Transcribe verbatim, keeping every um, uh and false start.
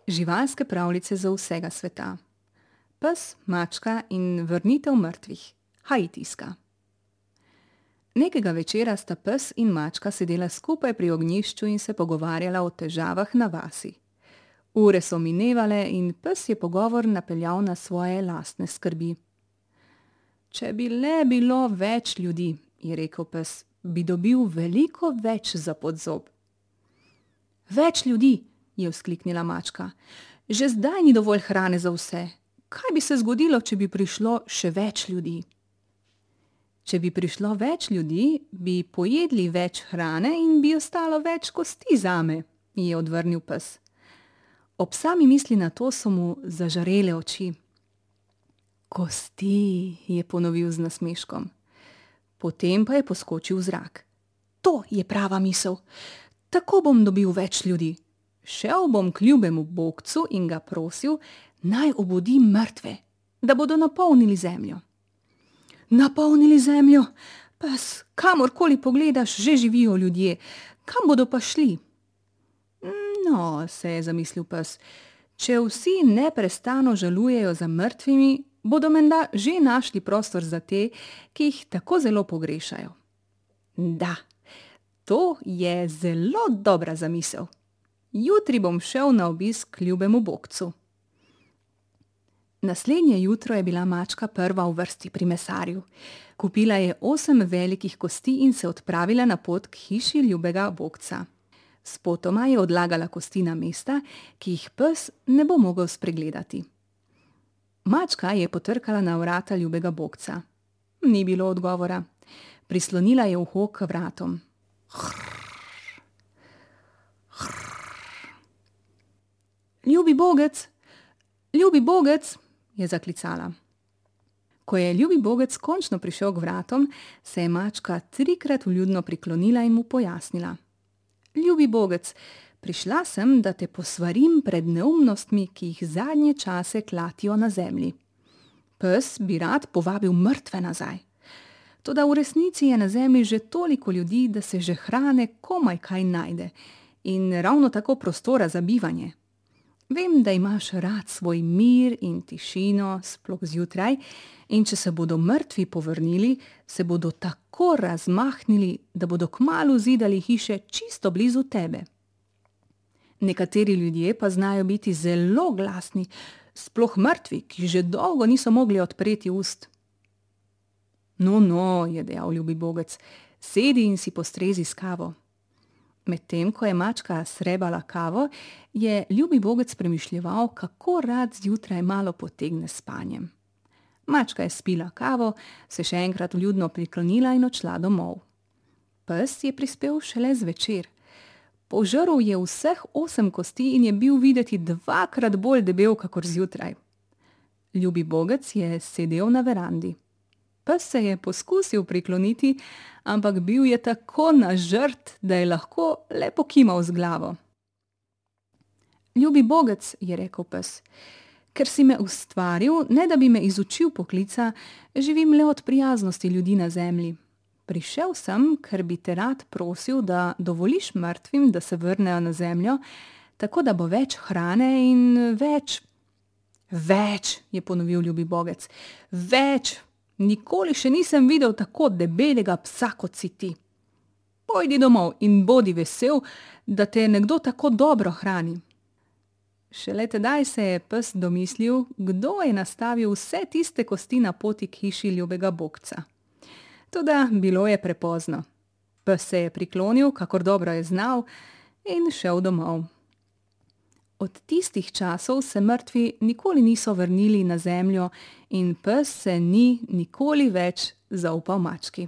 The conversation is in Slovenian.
Živalske pravljice za vsega sveta. Pes, mačka in vrnitev mrtvih. Haitijska. Nekega večera sta pes in mačka sedela skupaj pri ognjišču in se pogovarjala o težavah na vasi. Ure so minevale in pes je pogovor napeljal na svoje lastne skrbi. Če bi le bilo več ljudi, je rekel pes, bi dobil veliko več za podzob. Več ljudi, je vzkliknila mačka. Že zdaj ni dovolj hrane za vse. Kaj bi se zgodilo, če bi prišlo še več ljudi? Če bi prišlo več ljudi, bi pojedli več hrane in bi ostalo več kosti zame, je odvrnil pes. Ob sami misli na to so mu zažarele oči. Kosti, je ponovil z nasmeškom. Potem pa je poskočil v zrak. To je prava misel. Tako bom dobil več ljudi. Šel bom k ljubemu bogcu in ga prosil, naj obudi mrtve, da bodo napolnili zemljo. Napolnili zemljo? Pes, kamorkoli pogledaš, že živijo ljudje. Kam bodo pa šli? No, se je zamislil pes, če vsi neprestano žalujejo za mrtvimi, bodo menda že našli prostor za te, ki jih tako zelo pogrešajo. Da, to je zelo dobra zamisel. Jutri bom šel na obisk k ljubemu bogcu. Naslednje jutro je bila mačka prva v vrsti pri mesarju. Kupila je osem velikih kosti in se odpravila na pot k hiši ljubega bogca. Spotoma je odlagala kosti na mesta, ki jih pes ne bo mogel spregledati. Mačka je potrkala na vrata ljubega bogca. Ni bilo odgovora. Prislonila je uho k vratom. Ljubi bogec, ljubi bogec, je zaklicala. Ko je ljubi bogec končno prišel k vratom, se je mačka trikrat vljudno priklonila in mu pojasnila. Ljubi bogec, prišla sem, da te posvarim pred neumnostmi, ki jih zadnje čase klatijo na zemlji. Pes bi rad povabil mrtve nazaj. Toda v resnici je na zemlji že toliko ljudi, da se že hrane komaj kaj najde in ravno tako prostora za bivanje. Vem, da imaš rad svoj mir in tišino, sploh zjutraj, in če se bodo mrtvi povrnili, se bodo tako razmahnili, da bodo kmalu zidali hiše čisto blizu tebe. Nekateri ljudje pa znajo biti zelo glasni, sploh mrtvi, ki že dolgo niso mogli odpreti ust. No, no, je dejal ljubi bogec, sedi in si postrezi s kavo. Medtem, ko je mačka srebala kavo, je ljubi bogec premišljeval, kako rad zjutraj malo potegne s spanjem. Mačka je spila kavo, se še enkrat vljudno priklonila in odšla domov. Pes je prispel šele zvečer. Požrl je vseh osem kosti in je bil videti dvakrat bolj debel kakor zjutraj. Ljubi bogec je sedel na verandi. Pes se je poskusil prikloniti, ampak bil je tako nažrt, da je lahko le pokimal z glavo. Ljubi bogec, je rekel pes, ker si me ustvaril, ne da bi me izučil poklica, živim le od prijaznosti ljudi na zemlji. Prišel sem, ker bi te rad prosil, da dovoliš mrtvim, da se vrnejo na zemljo, tako da bo več hrane in več. Več, je ponovil ljubi bogec, več. Nikoli še nisem videl tako debelega psa, kot si ti. Pojdi domov in bodi vesel, da te nekdo tako dobro hrani. Šele tedaj se je pes domislil, kdo je nastavil vse tiste kosti na poti k hiši ljubega bogca. Toda bilo je prepozno. Pes se je priklonil, kakor dobro je znal, in šel domov. Od tistih časov se mrtvi nikoli niso vrnili na zemljo in pes se ni nikoli več zaupal mački.